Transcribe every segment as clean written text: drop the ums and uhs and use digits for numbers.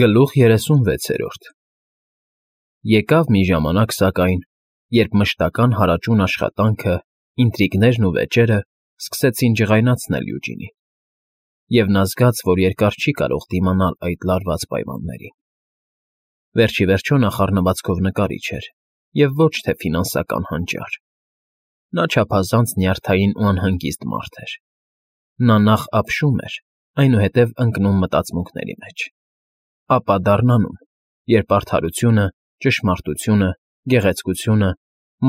Գլուխ 36 Եկավ մի ժամանակ, սակայն, երբ մշտական հարաճուն աշխատանքը, ինտրիգներն ու վեճերը սկսեցին ջղայնացնել Յուջինին, և նա զգաց, որ երկար չի կարող դիմանալ այդ լարված պայմաններին։ Վերջիվերջո նա խառնվածքով նկարիչ էր և ոչ թե ֆինանսական հանճար։ Նա չափազանց նյարդային ու անհանգիստ մարդ էր։ Նա նախ ապշում էր, այնուհետև ընկնում մտածմունքների մեջ, ապա դառնանում, երբ արդարությունը, ճշմարտությունը, գեղեցկությունը,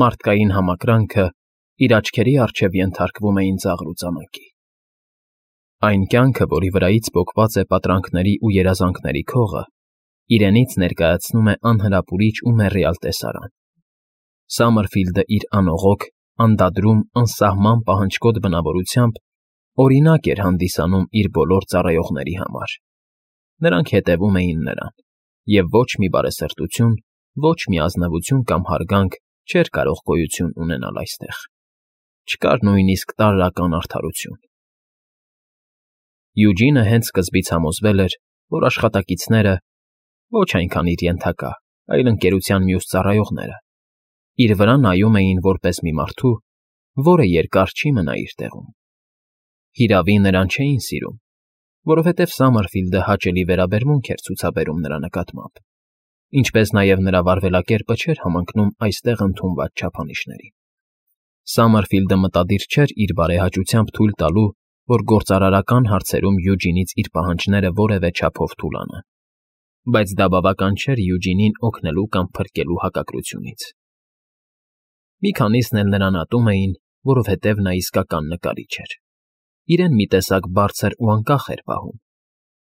մարդկային համակրանքը իր աչքերի առջև ենթարկվում էին ծաղրուծանակի։ Այն կյանքը, որի վրայից պոկված է պատրանքների ու երազանքների քողը, իրենից ներկայացնում է անհրապուրիչ ու մեռյալ տեսարան։ Սամերֆիլդը իր անողոք, անդադրում, անսահման պահանջկոտ բնավորությամբ օրինակ էր հանդիսանում իր բոլոր ծառայողների համար։ Նրանք հետևում էին նրան, և ոչ մի բարեսրտություն, ոչ մի ազնվություն կամ հարգանք չէր կարող գոյություն ունենալ այստեղ։ Չկար նույնիսկ տարրական արդարություն։ Յուջինը հենց սկզբից համոզվել էր, որ աշխատակիցները, ոչ այնքան իր ենթակա, այլ ընկերության մյուս ծառայողները, իր վրա նայում էին որպես մի մարդու, որը երկար չի մնա իր տեղում։ Հիրավի, նրան չէին սիրում, որովհետև Սամերֆիլդը հաճելի վերաբերմունք էր ցուցաբերում նրա նկատմամբ, ինչպես նաև նրա վարվելակերպը չէր համընկնում այստեղ ընդունված չափանիշներին։ Սամերֆիլդը մտադիր չէր իր բարեհաճությամբ թույլ տալու, որ գործարարական հարցերում Յուջինից իր պահանջները որևէ չափով թուլանան, բայց դա բավական չէր Յուջինին օգնելու կամ փրկելու հակակրությունից։ Մի քանիսն էլ նրան ատում էին, որովհետև նա իսկական նկարիչ էր։ Իրեն մի տեսակ բարձր ու անկախ էր պահում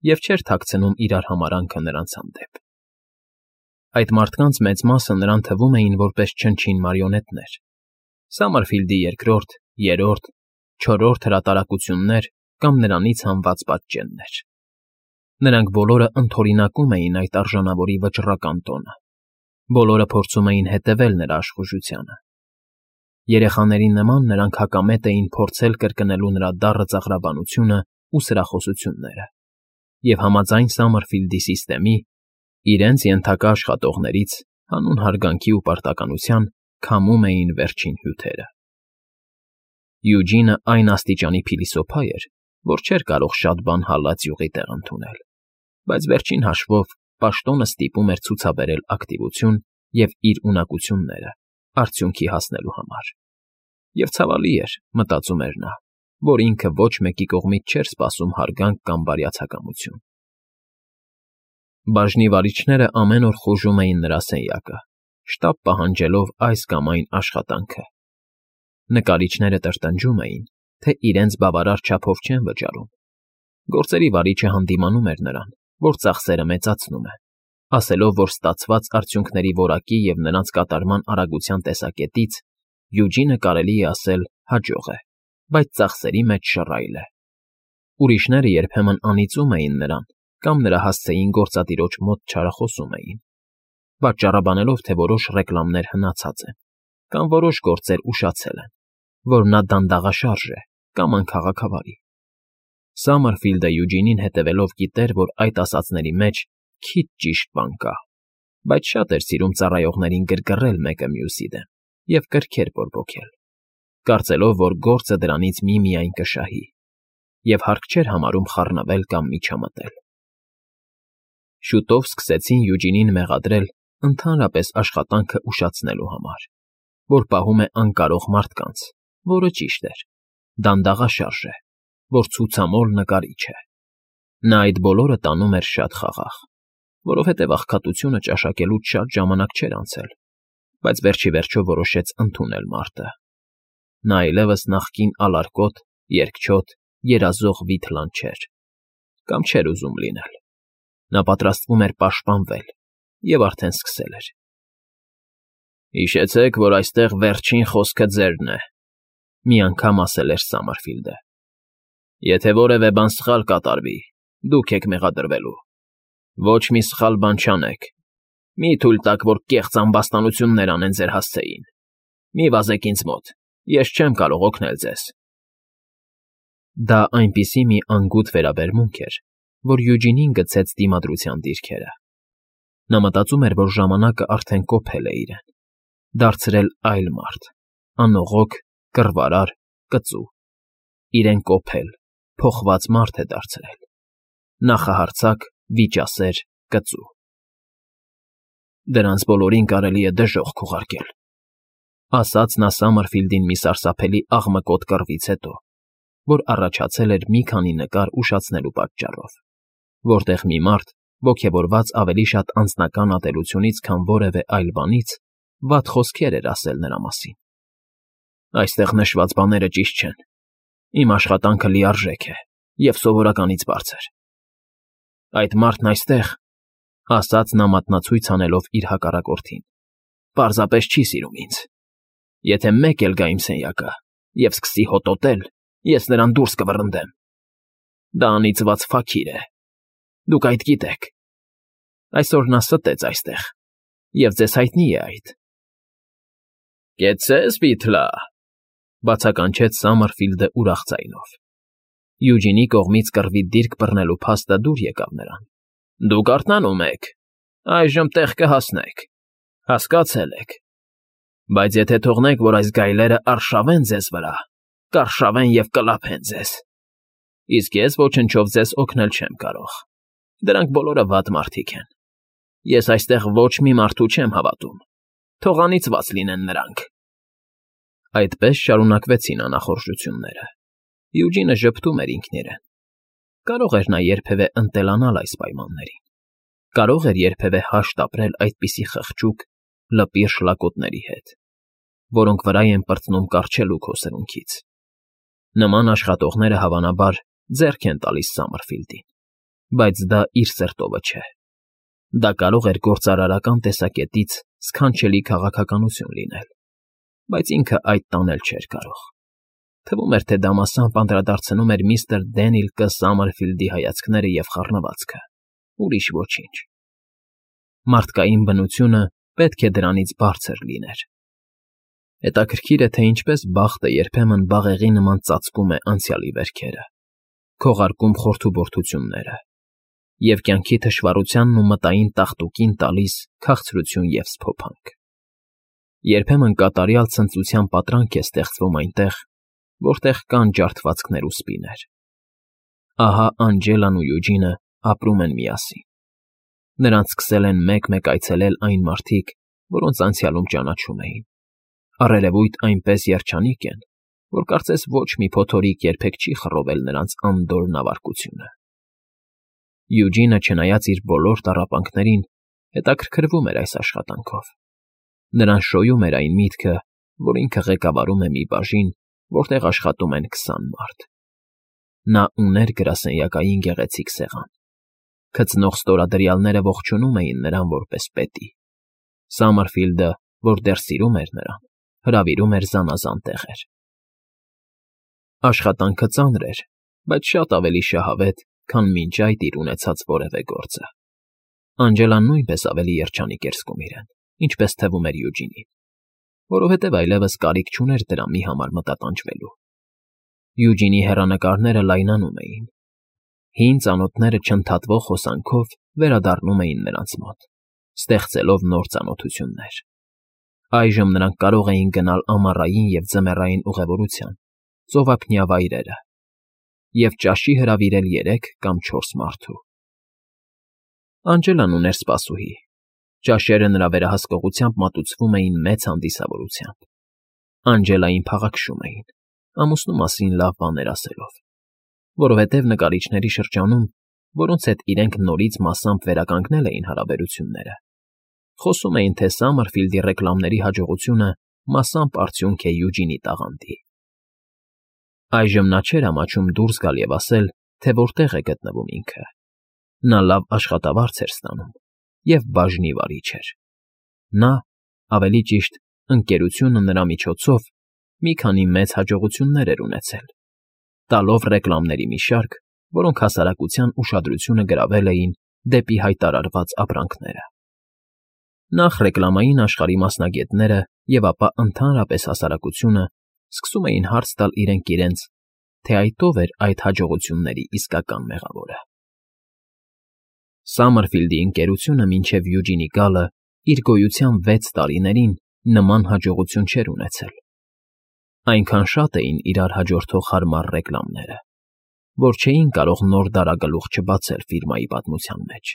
և չէր թաքցնում իրար համարանքը նրանց հանդեպ։ Այդ մարդկանց մեծ մասը նրան թվում էին որպես չնչին մարիոնետներ, Սամերֆիլդի երկրորդ, երրորդ, չորրորդ հրատարակություններ կամ նրանից հանված պատճեններ։ Նրանք բոլորը ընդօրինակում էին այդ արժանավորի վճռական տոնը, բոլորը փորձում էին հետևել նրա աշխուժությանը։ Երեխաների նման նրանք հակամետ էին փորձել կրկնելու նրա դառը ծաղրաբանությունն ու սրախոսությունները, և համաձայն Սամերֆիլդի սիստեմի, իրենց ենթակա աշխատողներից, հանուն հարգանքի ու պարտականության, քամում էին վերջին հյութերը։ Յուջինը այն աստիճանի փիլիսոփա էր, որ չէր կարող շատ բան հալած յուղի տեղ ընդունել, բայց վերջին հաշվով պաշտոնը ստիպում էր ցուցաբերել ակտիվություն և իր ունակությունները արդյունքի հասնելու համար։ Եվ ցավալի էր, մտածում էր նա, որ ինքը ոչ մեկի կողմից չէր սպասում հարգանք կամ բարյացակամություն։ Բաժնի վարիչները ամեն օր խուժում էին նրա սենյակը, շտապ պահանջելով այս կամ այն աշխատանքը։ Նկարիչները տրտնջում էին, թե իրենց բավարար չափով չեն վճարում։ Գործերի վարիչը հանդիմանում էր նրան, որ ծախսերը մեծացնում է, ասելով, որ ստացված արդյունքների որակի և նրանց կատարման արագության տեսակետից Յուջինը կարելի է ասել հաջող է, բայց ծախսերի մեջ շռայլ է։ Ուրիշները երբեմն անիծում էին նրան կամ նրա հասցեին գործատիրոջ մոտ չարախոսում էին, պատճառաբանելով, թե որոշ ռեկլամներ հնացած են, կամ որոշ գործեր ուշացել են, որ նա դանդաղաշարժ է կամ անքաղաքավարի։ Սամերֆիլդը Յուջինին հետևելով գիտեր, որ այդ ասածների մեջ քիչ ճիշտ բան կա, բայց շատ էր սիրում ծառայողներին գրգռել մեկը մյուսի դեմ և կրքեր բորբոքել, կարծելով, որ գործը դրանից միմիայն կշահի, և հարկ չէր համարում խառնվել կամ միջամտել։ Շուտով սկսեցին Յուջինին մեղադրել ընդհանրապես աշխատանքը ուշացնելու համար, որ պահում է անկարող մարդկանց, որը ճիշտ էր, դանդաղաշարժ է, որ ցուցամոլ նկարիչ է։ Նա այդ բոլորը տանում էր շատ խաղաղ, որովհետև աղքատությունը ճաշակելուց շատ ժամանակ չէր անցել, բայց վերջիվերջո որոշեց ընդունել մարդը։ Նա այլևս նախկին ալարկոտ, երկչոտ, երազող Վիթլան չէր, կամ չէր ուզում լինել։ Նա պատրաստվում էր պաշտպանվել և արդեն սկսել էր։ «Հիշեցեք, որ այստեղ վերջին խոսքը ձերն է», մի անգամ ասել էր Սամերֆիլդը։ «Եթե որևէ բան սխալ կատարվի, դուք եք մեղադրվելու։ Ոչ մի սխալ բան չանեք։ Մի թույլ տաք, որ կեղծ ամբաստանություններ անեն ձեր հասցեին։ Մի վազեք ինձ մոտ, ես չեմ կարող օգնել ձեզ»։ Դա այնպիսի մի անգութ վերաբերմունք էր, որ Յուջինին գցեց դիմադրության դիրքերը։ Նա մտածում էր, որ ժամանակը արդեն կոփել է իրեն, դարձրել այլ մարդ, անողոք, կռվարար, կծու։ Իրեն կոփել, փոխված մարդ է դարձրել։ Նախահարձակ, վիճասեր, կծու։ Դրանց բոլորին կարելի է դժոխք քուղարկել, ասաց նա Սամարֆիլդին մի սարսափելի աղմկոտ կռվից հետո, որ առաջացել էր մի քանի նկար ուշացնելու պատճառով, որտեղ մի մարդ, ոգևորված ավելի շատ անձնական ատելությունից, քան որևէ այլ բանից, վատ խոսքեր էր ասել նրա մասին։ Այստեղ նշված բաները ճիշտ չեն։ Իմ աշխատանքը լիարժեք է և սովորականից բարձր։ Այդ մարդն այստեղ, ասաց նա մատնացույց անելով իր հակառակորդին, պարզապես չի սիրում ինձ։ Եթե մեկ էլ գա իմ սենյակը և սկսի հոտոտել, ես նրան դուրս կվռնդեմ։ Դա անիծված ֆաքիր է։ Դուք այդ գիտեք։ Այսօր նա ստեց այստեղ, և ձեզ հայտնի է այդ։ Կեցցե՞ս, Բիթլա, բացականչեց Սամարֆիլդը ուրախ ձայնով։ Յուջինի կողմից կռվի դիրք բռնելու փաստը դուր եկավ նրան։ Դուք արթնանում եք։ Այժմ տեղ կհասնեք։ Հասկացել եք։ Բայց եթե թողնեք, որ այս գայլերը արշավեն ձեզ վրա, կարշավեն և կլափեն ձեզ։ Իսկ ես ոչնչով ձեզ օգնել չեմ կարող։ Դրանք բոլորը վատ մարդիկ են։ Ես այստեղ ոչ մի մարդու չեմ հավատում։ Թող անիծված լինեն նրանք։ Այդպես շարունակվեցին անախորժությունները։ Յուջինը ժպտում էր ինքն իրեն։ Կարող էր նա երբևէ ընտելանալ այս պայմաններին։ Կարող էր երբևէ հաշտ ապրել այդպիսի խղճուկ, լպիր շլակոտների հետ, որոնք վրա են պրծնում կառչելուք հո սրունքից։ Նման աշխատողները հավանաբար ձեռք են տալիս Սամարֆիլդին, բայց դա իր սրտովը չէ։ Դա կարող էր գործարարական տեսակետից սքանչելի քաղաքականություն լինել, բայց ինքը այդ տանել չէր կարող։ Թվում էր, թե դա մասամբ անդրադարձնում էր միստր Դենիլ Կ. Սամարֆիլդի հայացքները և խառնվածքը, ուրիշ ոչինչ։ Մարդկային բնությունը պետք է դրանից բարձր լիներ։ Հետաքրքիր է, թե ինչպես բախտը երբեմն բաղեղի նման ծածկում է անցյալի վերքերը, քողարկում խորթուբորթությունները և կյանքի թշվառությանն ու մտային տաղտուկին տալիս քաղցրություն և սփոփանք։ Երբեմն կատարյալ ցնծության պատրանք է ստեղծվում այնտեղ, որտեղ կան ջարդվածքներ ու սպիներ։ Ահա Անջելան ու Յուջինը ապրում են միասին։ Նրանց սկսել են մեկ֊մեկ այցելել այն մարդիկ, որոնց անցյալում ճանաչում էին։ Առերևույթ այնպես երջանիկ են, որ կարծես ոչ մի փոթորիկ երբեք չի խռովել նրանց անդորր նավարկությունը։ Յուջինը, չնայած իր բոլոր տառապանքներին, հետաքրքրվում էր այս աշխատանքով։ Նրան շոյում էր այն միտքը, որ ինքը ղեկավարում է մի բաժին, որտեղ աշխատում են 20 մարդ։ Նա ուներ գրասենյակային գեղեցիկ սեղան։ Քծնող ստորադրյալները ողջունում էին նրան որպես պետի։ Սամարֆիլդը, որ դեռ սիրում էր նրան, հրավիրում էր զանազան տեղեր։ Աշխատանքը ծանր էր, բայց շատ ավելի շահավետ, քան մինչ այդ իր ունեցած որևէ գործը։ Անջելան նույնպես ավելի երջանիկ էր զգում իրեն, ինչպես թվում էր Յուջինին, որովհետև այլևս կարիք չուներ դրա մի համար մտատանջվելու։ Յուջինի հեռանկարները լայնանում էին։ Հին ծանոթները չընդհատվող հոսանքով վերադառնում էին նրանց մոտ, ստեղծելով նոր ծանոթություններ։ Այժմ նրանք կարող էին գնալ ամառային և ձմեռային ուղևորության, ծովափնյա վայրերը և ճաշի հրավիրել 3 կամ 4 մարդու։ Անջելան ուներ սպասուհի։ Ճաշերը նրա վերահսկողությամբ մատուցվում էին մեծ հանդիսավորությամբ։ Անջելային փաղաքշում էին, ամուսնու մասին լավ բաներ ասելով, որովհետև նկարիչների շրջանում, որոնց հետ իրենք նորից մասամբ վերականգնել էին հարաբերությունները, խոսում էին, թե Սամարֆիլդի ռեկլամների հաջողությունը մասամբ արդյունք է Յուջինի տաղանդի։ Այժմ նա չէր ամաչում դուրս գալ և ասել, թե որտեղ է գտնվում ինքը։ Նա լավ աշխատավարձ էր ստանում և բաժնի վարիչ էր։ Նա, ավելի ճիշտ, ընկերությունը նրա միջոցով մի քանի մեծ հաջողություններ էր ունեցել, տալով ռեկլամների մի շարք, որոնք հասարակության ուշադրությունը գրավել էին դեպի հայտարարված ապրանքները։ Նախ ռեկլամային աշխարհի մասնագետները և ապա ընդհանրապես հասարակությունը սկսում էին հարց տալ իրենք իրենց, թե այդ ով էր այդ հաջողությունների իսկական մեղավորը։ Սամմերֆիլդի ընկերությունը մինչև Յուջինի գալը իր գոյության 6 տարիներին նման հաջողություն չէր ունեցել. այնքան շատ էին իրար հաջորդող հարմար ռեկլամները, որ չէին կարող նոր դարագլուխ չբացել ֆիրմայի պատմության մեջ։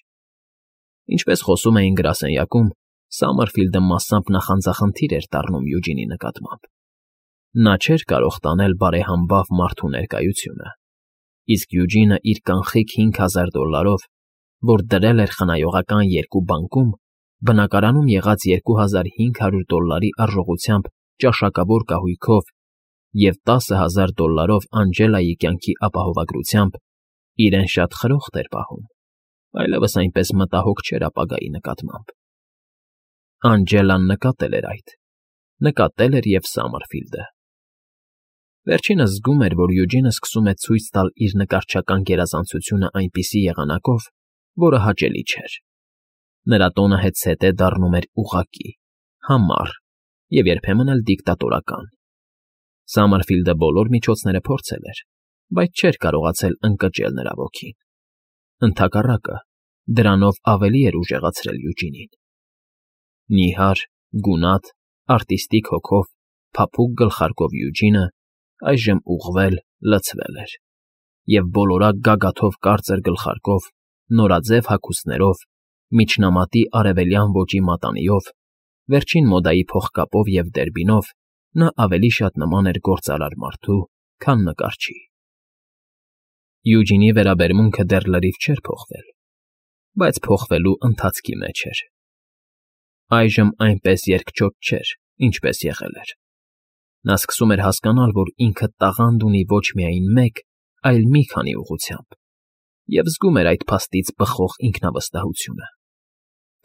Ինչպես խոսում էին գրասենյակում, Սամմերֆիլդը մասամբ նախանձախնդիր էր դառնում Յուջինի նկատմամբ։ Նա չէր կարող տանել բարեհամբավ մարդու ներկայությունը, իսկ Յուջինը իր կանխիկ $5,000, որ դրել էր խնայողական երկու բանկում, բնակարանում եղած $2,500 արժողությամբ ճաշակավոր կահույքով և $10,000 Անջելայի կյանքի ապահովագրությամբ իրեն շատ խրոխտ էր պահում, այլևս այնպես մտահոգ չէր ապագայի նկատմամբ։ Անջելան նկատել էր այդ, նկատել էր և Սամմերֆիլդը։ Վերջինս զգում էր, որ Յուջինը սկսում է ցույց տալ իր նկարչական գերազանցությունը այնպիսի եղանակով, որը հաճելի չէր։ Նրա տոնը հետզհետե դառնում էր ուղղակի, համառ և երբեմն էլ դիկտատորական։ Սամմերֆիլդը բոլոր միջոցները փորձել էր, բայց չէր կարողացել ընկճել նրա ոգին։ Ընդհակառակը, դրանով ավելի էր ուժեղացրել Յուջինին։ Նիհար, գունատ, արտիստիկ հոգով, փափուկ գլխարկով Յուջինը այժմ ուղղվել, լցվել էր, և բոլորակ գագաթով կարծր գլխարկով, նորաձև հագուստներով, միջնամատի արևելյան ոճի մատանիով, վերջին մոդայի փողկապով և դերբինով նա ավելի շատ նման էր գործարար մարդու, քան նկարչի։ Յուջինի վերաբերմունքը դեռ լրիվ չէր փոխվել, բայց փոխվելու ընթացքի մեջ էր։ Այժմ այնպես երկչոտ չէր, ինչպես եղել էր։ Նա սկսում էր հասկանալ, որ ինքը տաղանդ ունի ոչ միայն մեկ, այլ մի քանի ուղղությամբ, և զգում էր այդ փաստից բխող ինքնավստահությունը։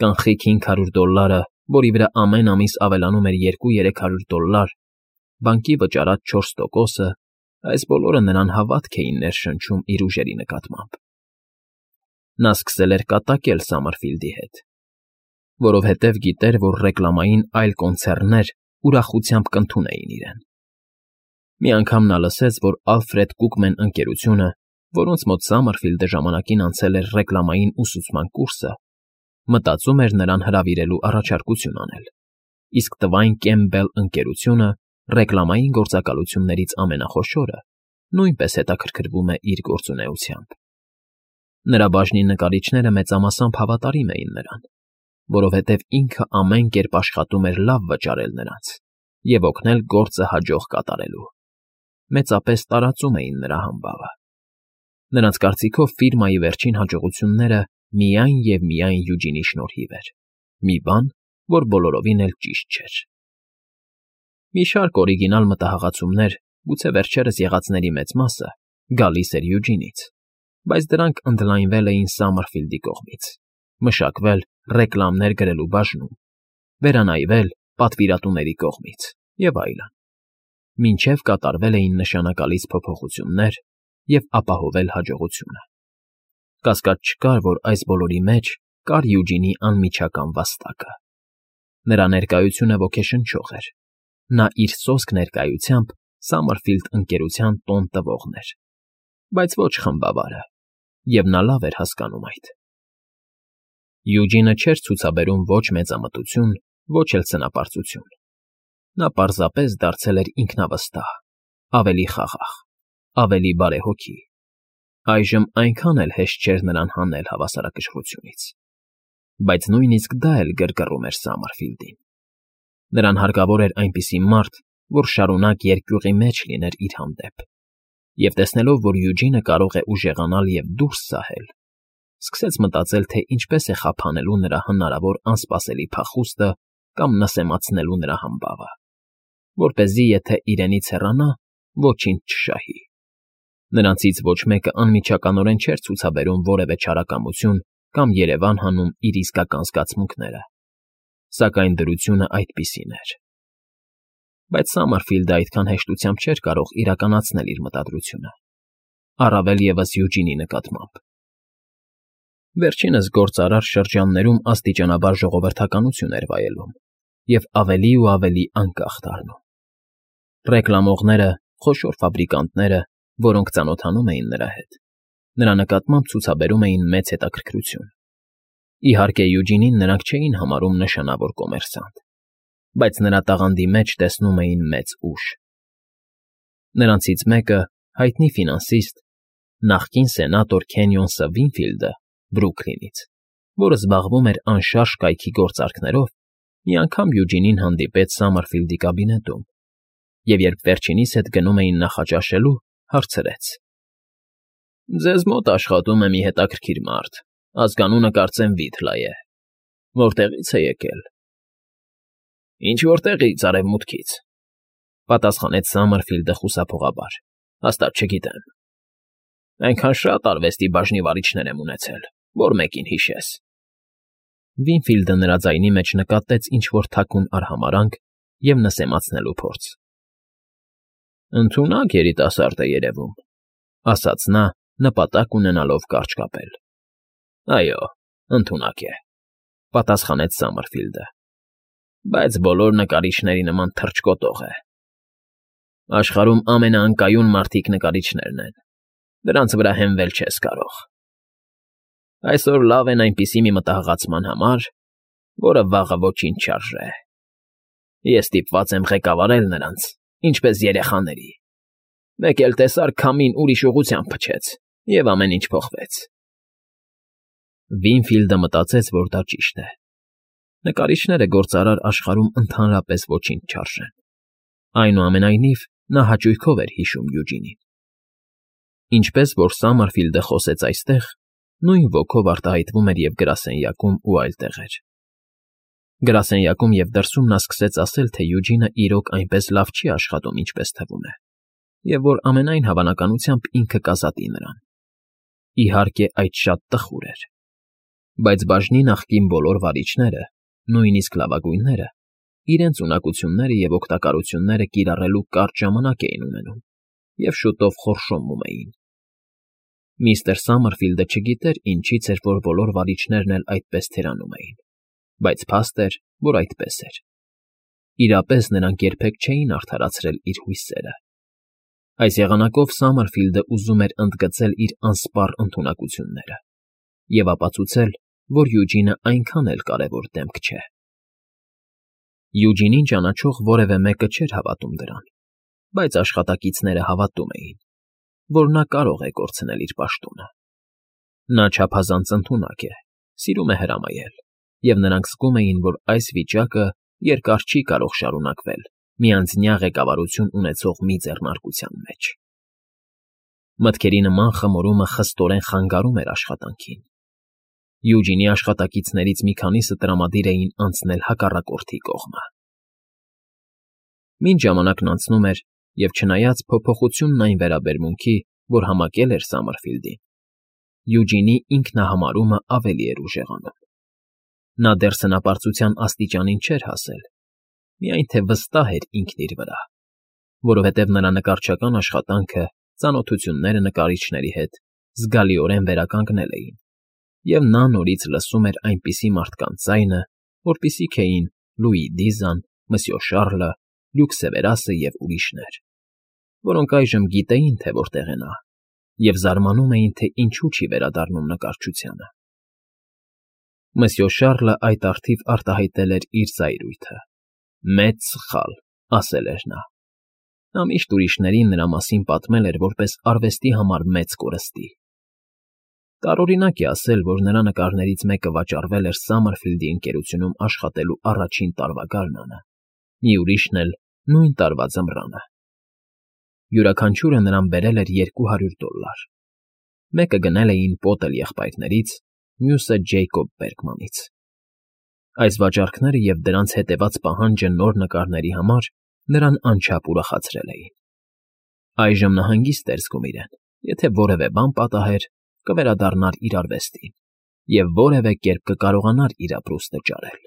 Կանխիկ $500, որի վրա ամեն ամիս ավելանում էր $200-300, բանկի վճարած 4%-ը, այս բոլորը նրան հավատք էին ներշնչում իր ուժերի նկատմամբ։ Նա սկսել էր կատակել Սամմերֆիլդի հետ, որովհետև գիտեր, որ ռեկլամային այլ կոնցեռներ ուրախությամբ կընդունեին իրեն։ Մի անգամ նա լսեց, որ Ալֆրեդ Կուկմեն ընկերությունը, որոնց մոտ Սամմերֆիլդը ժամանակին անցել էր ռեկլամային ուսուցման կուրսը, մտածում էր նրան հրավիրելու առաջարկություն անել, իսկ Տվայն Կեմբել ընկերությունը, ռեկլամային գործակալություններից ամենախոշորը, նույնպես հետաքրքրվում է իր գործունեությամբ։ Նրա բաժնի նկարիչները մեծամասամբ հավատարիմ էին նրան, որովհետև ինքը ամեն կերպ աշխատում էր լավ վճարել նրանց և օգնել գործը հաջող կատարելու։ Մեծապես տարածում էին նրա համբավը։ Նրանց կարծիքով ֆիրմայի վերջին հաջողությունները միայն և միայն Յուջինի շնորհիվ էր, մի բան, որ բոլորովին էլ ճիշտ չէր։ Մի շարք օրիգինալ մտահղացումներ, գուցե վերջերս եղածների մեծ մասը, գալիս էր Յուջինից, բայց դրանք ընդլայնվել էին Սամմերֆիլդի կողմից, մշակվել ռեկլամներ գրելու բաժնում, վերանայվել պատվիրատուների կողմից և այլն, մինչև կատարվել էին նշանակալից փոփոխություններ և ապահովել հաջողությունը։ Կասկած չկար, որ այս բոլորի մեջ կար Յուջինի անմիջական վաստակը։ Նրա ներկայությունը ոգեշնչող էր։ Նա իր սոսկ ներկայությամբ Սամմերֆիլդ ընկերության տոն տվողն էր, բայց ոչ խմբավարը, և նա լավ էր հասկանում այդ։ Յուջինը չէր ցուցաբերում ոչ մեծամտություն, ոչ էլ ցնապարծություն։ Նա պարզապես դարձել էր ինքնավստահ, ավելի խաղաղ, ավելի բարեհոգի։ Այժմ այնքան էլ հեշտ չէր նրան հանել հավասարակշռությունից։ Բայց նույնիսկ դա էլ գրգռում էր Սամմերֆիլդին։ Նրան հարկավոր էր այնպիսի մարդ, որ շարունակ երկյուղի մեջ լիներ իր հանդեպ, և տեսնելով, որ Յուջինը կարող է ուժեղանալ և դուրս սահել, սկսեց մտածել, թե ինչպես է խափանելու նրա հնարավոր անսպասելի փախուստը կամ նսեմացնելու նրա համբավը, որպեսզի եթե իրենից հեռանա, ոչինչ չշահի։ Նրանցից ոչ մեկը անմիջականորեն չէր ցուցաբերում որևէ չարակամություն կամ երևան հանում իր իսկական զգացմունքները, սակայն դրությունը այդպիսին էր։ Բայց Սամմերֆիլդը այդքան հեշտությամբ չէր կարող իրականացնել իր մտադրությունը, առավել ևս Յուջինի նկատմամբ։ Վերջինս գործարար շրջաններում աստիճանաբար ժողովրդականություն էր վայելում և ավելի ու ավելի անկախ դառնում։ Ռեկլամողները, խոշոր ֆաբրիկանտները, որոնք ծանոթանում էին նրա հետ, նրա նկատմամբ ցուցաբերում էին մեծ հետաքրքրություն Իհարկե, Յուջինին նրանք չէին համարում նշանավոր կոմերսանտ, բայց նրա տաղանդի մեջ տեսնում էին մեծ ուժ։ Նրանցից մեկը, հայտնի ֆինանսիստ, նախկին սենատոր Քենյոնսը Վինֆիլդը Բրուքլինից, որը զբաղվում էր անշարժ կայքի գործարքներով, մի անգամ Յուջինին հանդիպեց Սամարֆիլդի կաբինետում և երբ վերջինիս հետ գնում էին նախաճաշելու, հարցրեց. «Ձեզ մոտ աշխատում է մի հետաքրքիր մարդ, ազգանունը կարծեմ Վիթլա է, որտեղի՞ց է եկել»։ «Ինչ֊որ տեղից, արևմուտքից», պատասխանեց Սամարֆիլդը խուսափողաբար, հաստատ չգիտեմ։ «Այնքան շատ արվեստի բաժնի վարիչներ եմ ունեցել, որ մեկին հիշես»։ Վինֆիլդը նրա ձայնի մեջ նկատեց ինչ֊որ թաքուն արհամարհանք և նսեմացնելու փորձ։ «Ընդունակ երիտասարդ է երևում», ասաց նա, նպատակ ունենալով կարճ կապել։ «Այո, ընդունակ է», պատասխանեց Սամարֆիլդը, «բայց բոլոր նկարիչների նման թռչկոտող է։ Աշխարհում ամենաանկայուն մարդիկ նկարիչներն են, դրանց վրա հենվել չես կարող։ Այսօր լավ են այնպիսի մի մտահղացման համար, որը վաղը ոչինչ չարժե։ Ես ստիպված եմ ղեկավարել նրանց, ինչպես երեխաների։ Մեկ էլ տեսար քամին ուրիշ ուղղությամբ փչեց, և ամեն ինչ փոխվեց»։ Վինֆիլդը մտածեց, որ դա ճիշտ է։ Նկարիչները գործարար աշխարհում ընդհանրապես ոչինչ չարժեն։ Այնուամենայնիվ, նա հաճույքով էր հիշում Յուջինին։ Ինչպես որ Սամարֆիլդը խոսեց այստեղ, նույն ոգով արտահայտվում էր և գրասենյակում ու այլ տեղեր։ Գրասենյակում և դրսում նա սկսեց ասել, թե Յուջինը իրոք այնպես լավ չի աշխատում, ինչպես թվում է, և որ ամենայն հավանականությամբ ինքը կազատի նրան։ Իհարկե, այդ շատ տխուր էր։ Բայց բաժնի նախկին բոլոր վարիչները, նույնիսկ լավագույնները, իրենց ունակությունները և օգտակարությունները կիրառելու կարճ ժամանակ էին ունենում և շուտով խորշոմում էին։ Միստր Սամարֆիլդը չգիտեր ինչից էր, որ բոլոր վարիչներն էլ այդպես թերանում էին, բայց փաստ էր, որ այդպես էր։ Իրապես նրանք երբեք չէին արդարացրել իր հույսերը։ Այս եղանակով Սամարֆիլդը ուզում էր ընդգծել իր անսպառ ընդունակությունները և ապացուցել, որ Յուջինը այնքան էլ կարևոր դեմք չէ։ Յուջինին ճանաչող որևէ մեկը չէր հավատում դրան, բայց աշխատակիցները հավատում էին, որ նա կարող է կորցնել իր պաշտոնը։ Նա չափազանց ընդունակ է, սիրում է հրամայել, և նրանք զգում էին, որ այս վիճակը երկար չի կարող շարունակվել միանձնյա ղեկավարություն ունեցող մի ձեռնարկության մեջ։ Մտքերի նման խմորումը խստորեն խանգարում էր աշխատանքին։ Յուջինի աշխատակիցներից մի քանիսը տրամադիր էին անցնել հակառակորդի կողմը։ Մինչ ժամանակն անցնում էր, և չնայած փոփոխությունն այն վերաբերմունքի, որ համակել էր Սամարֆիլդին, Յուջինի ինքնահամարումը ավելի էր ուժեղանում։ Նա դեռ սնապարծության աստիճանին չէր հասել, միայն թե վստահ էր ինքն իր վրա, որովհետև նրա նկարչական աշխատանքը, ծանոթությունները նկարիչների հետ զգալիորեն վերականգնել էին, և նա նորից լսում էր այնպիսի մարդկանց ձայնը, որպիսիք էին Լուի Դիզան, Մսյո Շառլը, Լյուկ Սևերասը և ուրիշներ, որոնք այժմ գիտեին, թե որտեղ է նա, և զարմանում էին, թե ինչու չի վերադառնում նկարչությանը։ Մսյո Շառլը այդ առթիվ արտահայտել էր իր զայրույթը։ «Մեծ սխալ», ասել էր նա։ Նա միշտ ուրիշներին նրա մասին պատմել էր որպես արվեստի համար մեծ կորստի։ Տարօրինակ է ասել, որ նրա նկարներից մեկը վաճառվել էր Սամարֆիլդի ընկերությունում աշխատելու առաջին տարվա գարնանը, մի ուրիշն էլ նույն տարվա ձմռանը։ Յուրաքանչյուրը նրան բերել էր $200։ Մեկը գնել էին Պոտել եղբայրներից, մյուսը Ջեյկոբ Բերգմանից։ Այս վաճառքները և դրանց հետևած պահանջը նոր նկարների համար նրան անչափ ուրախացրել էին։ Այժմ նա հանգիստ էր զգում իրեն, եթե որևէ բան պատահեր, կվերադառնար իր արվեստին և որևէ կերպ կկարողանար իր ապրուստը ճարել։